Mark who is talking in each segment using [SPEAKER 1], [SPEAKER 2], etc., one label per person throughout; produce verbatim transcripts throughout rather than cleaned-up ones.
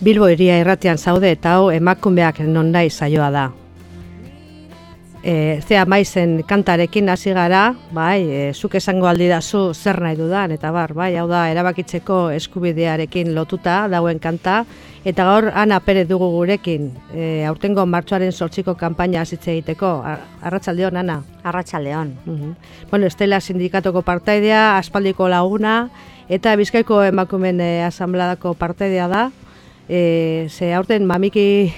[SPEAKER 1] Bilbo Hiria Irratian zaude eta hau emakumeak non nahi saioa da. E, zea maizen kantarekin hasi gara, bai, e, zuk esango aldidazu zer nahi dudan, eta bar, bai, hau da erabakitzeko eskubidearekin lotuta dauen kanta, eta gaur Ana Perez dugu gurekin, e, aurtengo martxoaren zortziko kanpaina hasitze egiteko. Arratsaldeon, Ana.
[SPEAKER 2] Arratsaldeon.
[SPEAKER 1] Uh-huh. Bueno, Estela sindikatoko partaidea, aspaldiko laguna, eta Bizkaiko emakumeen e, asambladako partaidea da. E, ze aurten mamiki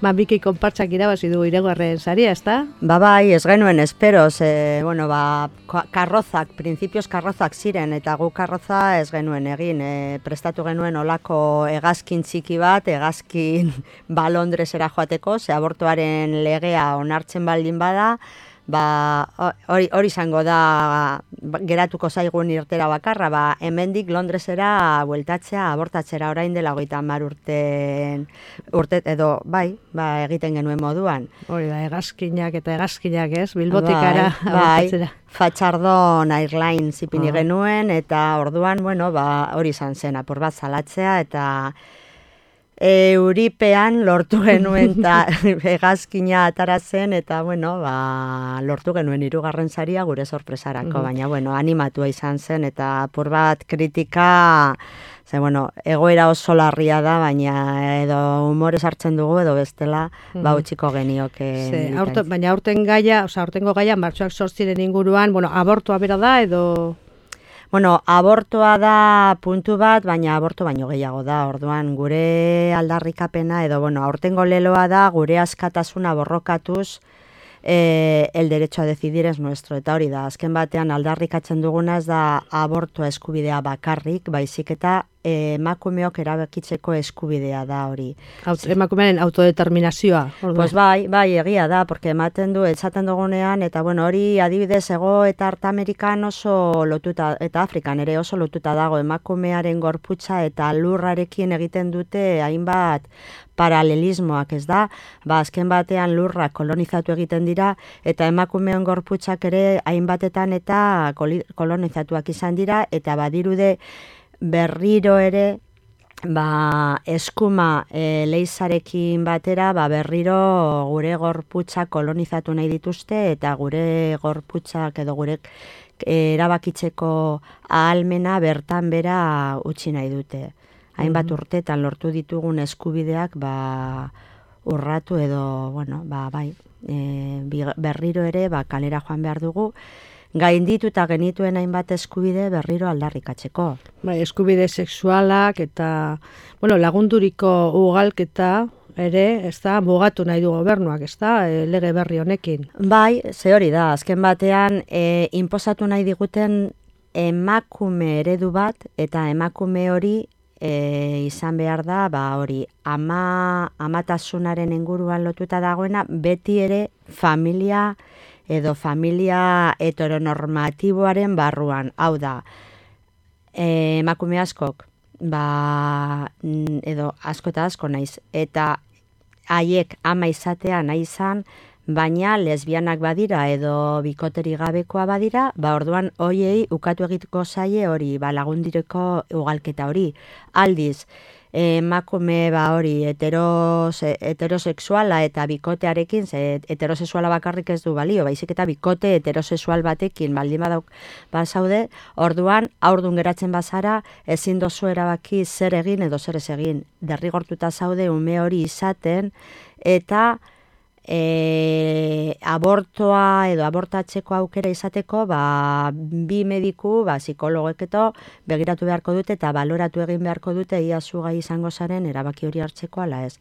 [SPEAKER 1] mamiki konpartsak irabazi du hirugarren saria, ezta?
[SPEAKER 2] Ba bai, ez genuen espero, ze, bueno, ba, karrozak, printzipioz karrozak ziren, eta gu karroza ez genuen egin, e, prestatu genuen olako hegazkin txiki bat, hegazkin ba Londresera joateko, ze abortuaren legea onartzen baldin bada, ba hori hori izango da geratuko zaigun irtera bakarra, ba hemendik Londresera bueltatzea abortatzera orain dela hogeita hamar urte urte edo bai, ba egiten genuen moduan.
[SPEAKER 1] Hori da, hegazkinak eta hegazkinak, ez? Bilbotikara
[SPEAKER 2] bai,
[SPEAKER 1] abortatzera.
[SPEAKER 2] Bai, Fatxardon Airlines ipini uh-huh. genuen, eta orduan, bueno, ba hori izan zen apur bat salatzea, eta Euripean lortu genuen eta hegazkina atara zen, eta bueno, ba, lortu genuen hirugarren saria gure sorpresarako, mm-hmm. baina bueno, animatua izan zen, eta apur bat kritika, ze bueno, egoera oso larria da, baina edo humorez hartzen dugu edo bestela, mm-hmm. ba utziko genioke.
[SPEAKER 1] Ze, aurto, baina aurten gaia, oza, aurtengo gaia martxoak zortziren inguruan, bueno, abortua bera da edo...
[SPEAKER 2] Bueno, abortoa da puntu bat, baina aborto baino gehiago da. Orduan, gure aldarrikapena edo, bueno, aurtengo leloa da, gure askatasuna borrokatuz, e, el derecho a decidir es nuestro. Eta hori da, azken batean aldarrikatzen dugunaz da abortoa eskubidea bakarrik, baizik eta emakumeok erabakitzeko eskubidea da hori.
[SPEAKER 1] Aut, emakumearen autodeterminazioa. Orduan.
[SPEAKER 2] Pues bai, bai, egia da, porque ematen du, etzaten dugunean, eta bueno, hori adibidez ego eta Art Amerikan oso lotuta, eta Afrikan ere oso lotuta dago, emakumearen gorputza eta lurrarekin egiten dute hainbat paralelismoak, ez da? Ba, azken batean lurra kolonizatu egiten dira, eta emakumeon gorputzak ere hainbatetan eta kolonizatuak izan dira, eta badirude berriro ere ba, eskuma e, leizarekin batera ba, berriro gure gorputzak kolonizatu nahi dituzte, eta gure gorputzak edo gure erabakitzeko ahalmena bertan bera utzi nahi dute. Hainbat mm-hmm. urtetan lortu ditugun eskubideak ba, urratu edo, bueno, ba, bai, e, berriro ere ba, kalera joan behar dugu, gainditu eta genituen hainbat eskubide berriro aldarrikatzeko.
[SPEAKER 1] Bai, eskubide sexualak eta bueno, lagunduriko ugalketa ere, ez da, mugatu nahi du gobernuak, ez da, e, lege berri honekin.
[SPEAKER 2] Bai, ze hori da, azken batean, e, inposatu nahi diguten emakume eredu bat, eta emakume hori e, izan behar da, ba hori, ama, amatasunaren inguruan lotuta dagoena, beti ere familia edo familia heteronormatiboaren barruan. Hau da, e, emakume askok, ba, edo asko eta asko naiz, eta haiek ama izatea nahi izan, baina lesbianak badira edo bikoteri gabekoa badira, ba orduan hoiei ukatu egiteko zaie hori, ba lagundireko ugalketa hori. Aldiz, emakume ba hori heteros, heterosexuala eta bikotearekin, ze heterosexuala bakarrik ez du balio, baizik eta bikote heterosexual batekin baldin badauk bazaude, orduan aurdun geratzen bazara ezin dozu erabaki zer egin edo zer ez egin. Derrigortuta zaude ume hori izaten, eta E, abortoa edo abortatzeko aukera izateko ba, bi mediku, ba, psikologeketo begiratu beharko dute eta baloratu egin beharko dute ia zu gai izango zaren erabaki hori hartzeko ala ez.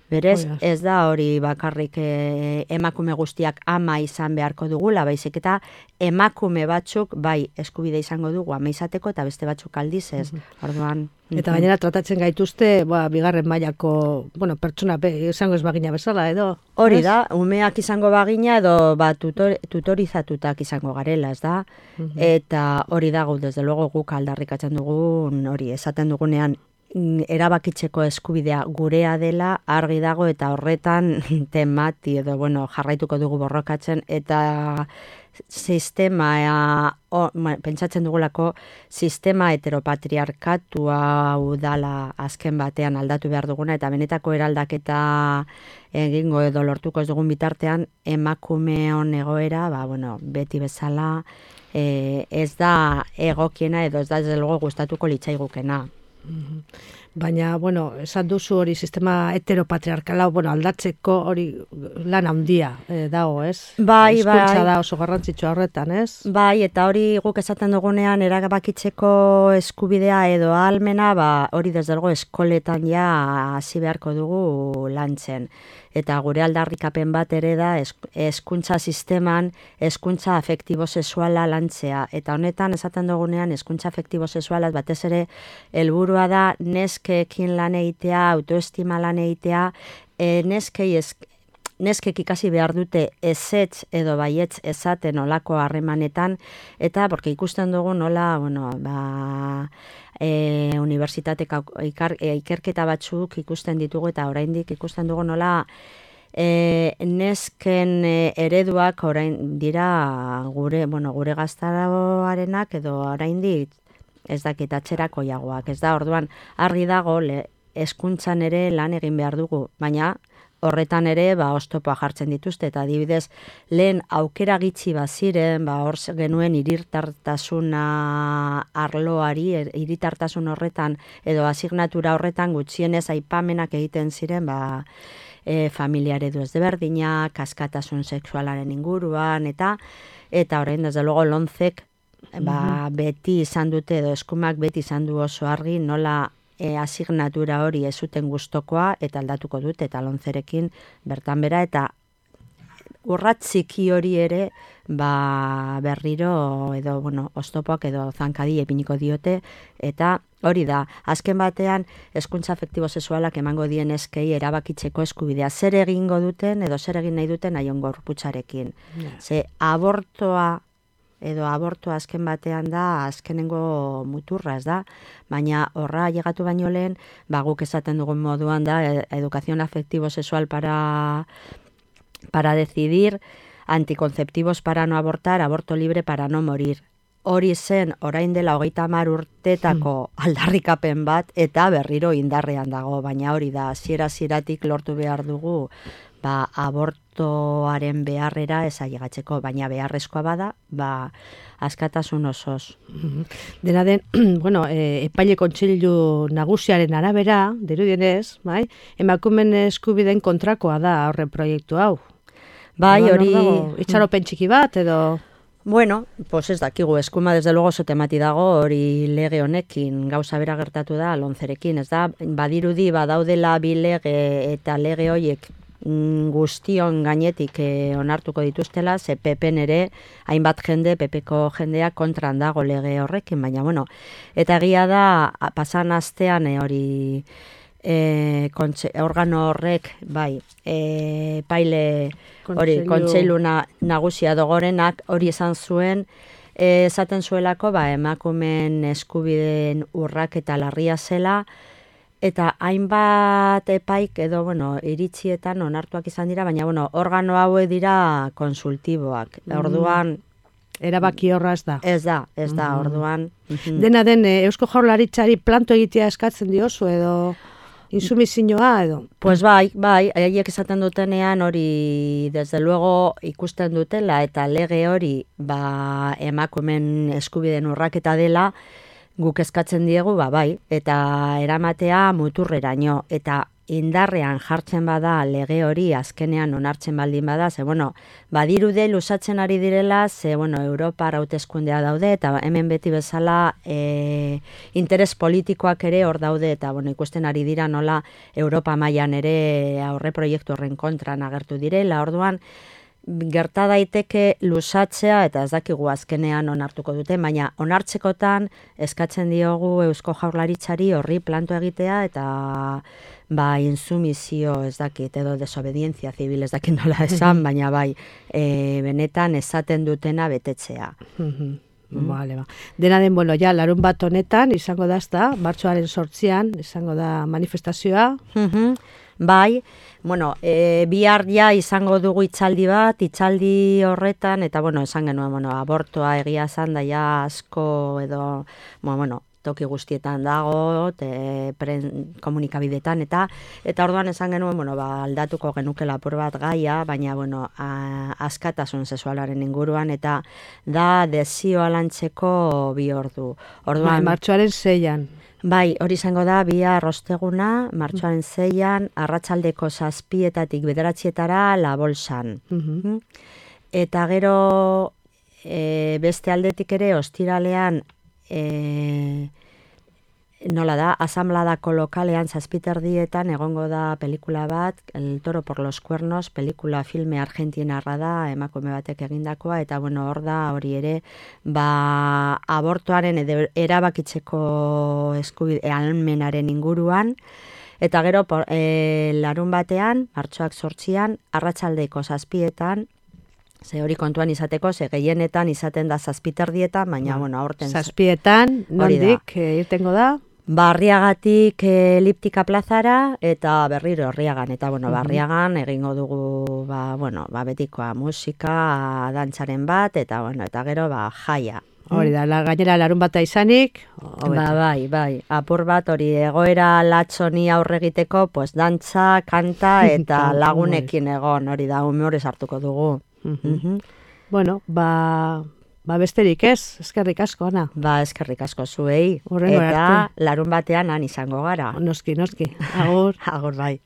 [SPEAKER 2] Berez, oh, ez da hori bakarrik e, emakume guztiak ama izan beharko dugula, baizik eta emakume batzuk bai eskubide izango dugu ama izateko eta beste batzuk aldiz ez. Mm-hmm. Orduan,
[SPEAKER 1] eta gainera tratatzen gaituzte, ba, bigarren mailako, bueno, pertsona be, izango ez bagina bezala edo.
[SPEAKER 2] Hori da, umeak izango bagina edo ba, tutor, tutorizatutak izango garela, ez da? Mm-hmm. Eta hori da, desde luego guk aldarrikatzen dugun, hori, esaten dugunean, erabakitzeko eskubidea gurea dela argi dago, eta horretan temati edo bueno, jarraituko dugu borrokatzen, eta sistema, o, pentsatzen dugulako, sistema heteropatriarkatua udala azken batean aldatu behar duguna, eta benetako eraldaketa egingo edo lortuko ez dugun bitartean, emakumeon egoera, ba, bueno, beti bezala, e, ez da egokiena edo ez da ez luego gustatuko litzaigukena.
[SPEAKER 1] Baina, bueno, esan duzu hori sistema heteropatriarkala, bueno, aldatzeko hori lan handia eh, dago, ez?
[SPEAKER 2] Bai, bai.
[SPEAKER 1] Hizkuntza da oso garrantzitsua horretan, ez?
[SPEAKER 2] Bai, eta hori guk esaten dugunean erabakitzeko eskubidea edo ahalmena, ba, hori desde luego eskoletan ja hasi beharko dugu lantzen. Eta gure aldarrikapen bat ere da hezkuntza sisteman hezkuntza afektibo-sexuala lantzea. Eta honetan esaten dugunean hezkuntza afektibo-sexuala batez ere helburua da neskeekin lan egitea, autoestima lan egitea, e, neskei ez, neskek ikasi behar dute ezetz edo baietz esaten olako harremanetan, eta porque ikusten dugu nola, bueno, ba... E, unibertsitateko ikerketa batzuk ikusten ditugu eta oraindik ikusten dugu nola e, nesken e, ereduak orain dira gure, bueno, gure gaztaroarenak edo oraindik ez dakit atzerakoiagoak, ez da, orduan argi dago hezkuntzan ere lan egin behar dugu, baina horretan ere, ba, oztopoa jartzen dituzte, eta adibidez, lehen aukera gitxi baziren, ba, hor genuen irirtartasuna arloari, irirtartasun horretan, edo asignatura horretan gutxienez aipamenak egiten ziren, ba, e, familia eredu ezberdinak, askatasun sexualaren inguruan, eta eta orain, desde luego, lonzek, ba, beti izan dute, edo eskumak beti izan du oso argi, nola E, asignatura hori ez zuten gustokoa eta aldatuko dut eta lonzerekin bertan bera eta urratziki hori ere ba, berriro edo bueno, oztopoak edo zankadi epiniko diote eta hori da, azken batean hezkuntza afektibo-sexualak emango dien eskei erabakitzeko eskubidea zer egingo duten edo zer egin nahi duten haion gorputzarekin. Yeah. Ze abortoa edo abortua azken batean da, azkenengo muturra, ez da? Baina horra llegatu baino lehen, ba, guk esaten dugun moduan da, educación afectivo-sexual para, para decidir, anticonceptivos para no abortar, aborto libre para no morir. Hori zen, orain dela hogeita hamar urtetako aldarrikapen bat, eta berriro indarrean dago, baina hori da, hasiera-hasieratik lortu behar dugu, ba, abortoaren beharrera ez ailegatzeko, baina beharrezkoa bada, ba, askatasun osoz.
[SPEAKER 1] Dena den, bueno, e, epaile kontseilu nagusiaren arabera, dirudienez, bai, emakumeen eskubideen kontrakoa da horren proiektu hau.
[SPEAKER 2] Bai, hori...
[SPEAKER 1] Itxaropen txiki bat, edo...
[SPEAKER 2] Bueno, pues ez dakigu, eskuma desde luego oso temati dago, hori lege honekin, gauza bera gertatu da, lonzerekin, ez da, badirudi, badaudela bi lege eta lege horiek guztion gainetik eh, onartuko dituztela, ze P Pen ere, hainbat jende, P Pko jendea kontran dago lege horrekin, baina bueno, eta egia da, pasan astean eh, hori... E, kontxe, organo horrek, bai, e, paile hori, kontseilu na, nagusia dogorenak hori esan zuen, e, esaten zuelako, ba, emakumeen eskubideen urrak eta larria zela, eta hainbat epaik edo, bueno, iritzietan onartuak izan dira, baina, bueno, organo hauek dira konsultiboak. Mm. Orduan,
[SPEAKER 1] erabaki horra ez da.
[SPEAKER 2] Ez da, ez da, mm. orduan.
[SPEAKER 1] Dena den, Eusko Jaurlaritzari planto egitea eskatzen diozu edo... Insumizioa edo?
[SPEAKER 2] Pues bai, bai, haiek esaten dutenean hori desde luego ikusten dutela eta lege hori ba, emakumeen eskubideen urraketa dela guk eskatzen diegu, ba, bai, eta eramatea muturreraino eta indarrean jartzen bada lege hori azkenean onartzen baldin bada, ze bueno, badirude lusatzen ari direla, ze bueno, Europar hauteskundea daude eta hemen beti bezala e, interes politikoak ere hor daude eta bueno, ikusten ari dira nola Europa mailan ere aurre proiektu horren kontran agertu direla, orduan gerta daiteke lusatzea eta ez dakigu azkenean onartuko dute, baina onartzekotan eskatzen diogu Eusko Jaurlaritzari horri planto egitea eta ba, insumizio ez dakit, edo desobedientzia zibil ez dakit nola esan, baina bai, e, benetan esaten dutena betetzea.
[SPEAKER 1] Mm. Vale, ba. Dena den, bueno, ja, larun bat honetan izango da, ezta, martxoaren sortzian izango da manifestazioa.
[SPEAKER 2] Mm-hmm. Bai, bueno, e, bihar ja izango dugu hitzaldi bat, hitzaldi horretan, eta bueno, esan genuen, bueno, abortoa egia esan da ja asko edo, bueno, bueno, toki guztietan dago, te, pren, komunikabidetan, eta eta orduan esan genuen, bueno, ba, aldatuko genukela apur bat gaia, baina, bueno, a, askatasun sexualaren inguruan, eta da desioa lantzeko bi ordu. Orduan,
[SPEAKER 1] Bai, martxoaren seian.
[SPEAKER 2] Bai, hori izango da, bihar osteguna, martxoaren seian, arratsaldeko zazpietatik bederatzietara la bolsan.
[SPEAKER 1] Mhm.
[SPEAKER 2] Eta gero e, beste aldetik ere, ostiralean, e, nola da, asamladako lokalean zazpiterdietan egongo da pelikula bat, El toro por los cuernos, pelikula filme argentinarra da, emakume batek egindakoa, eta bueno, hor da hori ere, ba, abortuaren edo erabakitzeko eskubide ahalmenaren inguruan, eta gero por, e, larun batean, martxoak zortzian, arratsaldeko zazpietan, ze hori kontuan izateko, ze gehienetan izaten da zazpiterdietan, baina, bueno, aurten...
[SPEAKER 1] Zazpietan, nondik, e, irtengo da?
[SPEAKER 2] Barriagatik eliptika plazara eta berriro Arriagan. Eta, bueno, Barriagan egingo dugu, ba, bueno, ba, betikoa musika, dantzaren bat, eta, bueno, eta gero, ba, jaia.
[SPEAKER 1] Hori da, la, gainera larun bata izanik,
[SPEAKER 2] ba, bai, bai, apur bat hori egoera latxoni aurre egiteko, pues, dantza, kanta eta lagunekin egon, hori da, humorez hartuko dugu.
[SPEAKER 1] Uh-huh. Bueno, ba... Ba besterik ez, eskerrik asko, Ana.
[SPEAKER 2] Ba, eskerrik asko zuei.
[SPEAKER 1] Horrengo
[SPEAKER 2] eta
[SPEAKER 1] arte.
[SPEAKER 2] larun batean han izango gara.
[SPEAKER 1] Noski, noski. Agur.
[SPEAKER 2] Agur, bai.